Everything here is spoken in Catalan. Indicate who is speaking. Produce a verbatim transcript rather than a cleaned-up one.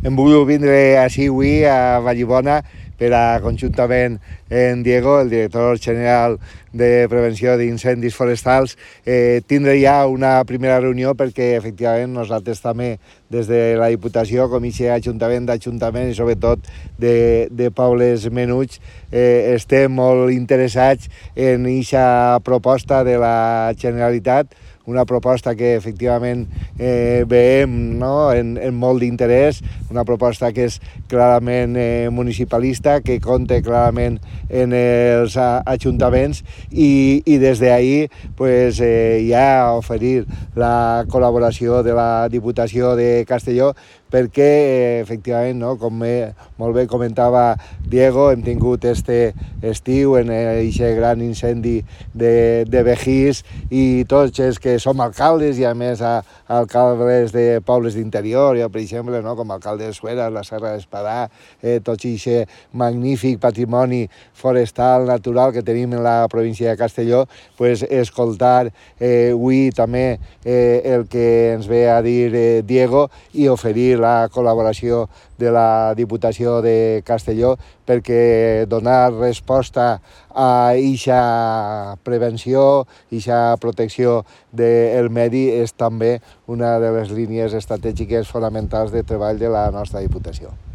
Speaker 1: hem volgut vindre així avui a Vallibona per a, conjuntament en Diego, el director general de Prevenció d'Incendis Forestals, eh, tindre ja una primera reunió perquè, efectivament, nosaltres també, des de la Diputació, com a Ajuntament d'Ajuntament i sobretot de, de pobles menuts, eh, estem molt interessats en aquesta proposta de la Generalitat, una proposta que efectivament eh, veiem, no?, en, en molt d'interès, una proposta que és clarament eh, municipalista, que compta clarament en els ajuntaments i, i des d'ahir pues, eh, ja oferir la col·laboració de la Diputació de Castelló perquè, eh, efectivament, no?, com eh, molt bé comentava Diego, hem tingut este estiu en aquest gran incendi de, de Begís i tots els que som alcaldes i a més a, a alcaldes de pobles d'interior, jo per exemple, no?, com a alcalde de Suera, la Serra d'Espadà, eh, tot aquest magnífic patrimoni forestal natural que tenim en la província de Castelló, pues, escoltar eh, avui també eh, el que ens ve a dir eh, Diego i oferir la col·laboració de la Diputació de Castelló perquè donar resposta a aquesta prevenció, a aquesta protecció del medi és també una de les línies estratègiques fonamentals de treball de la nostra Diputació.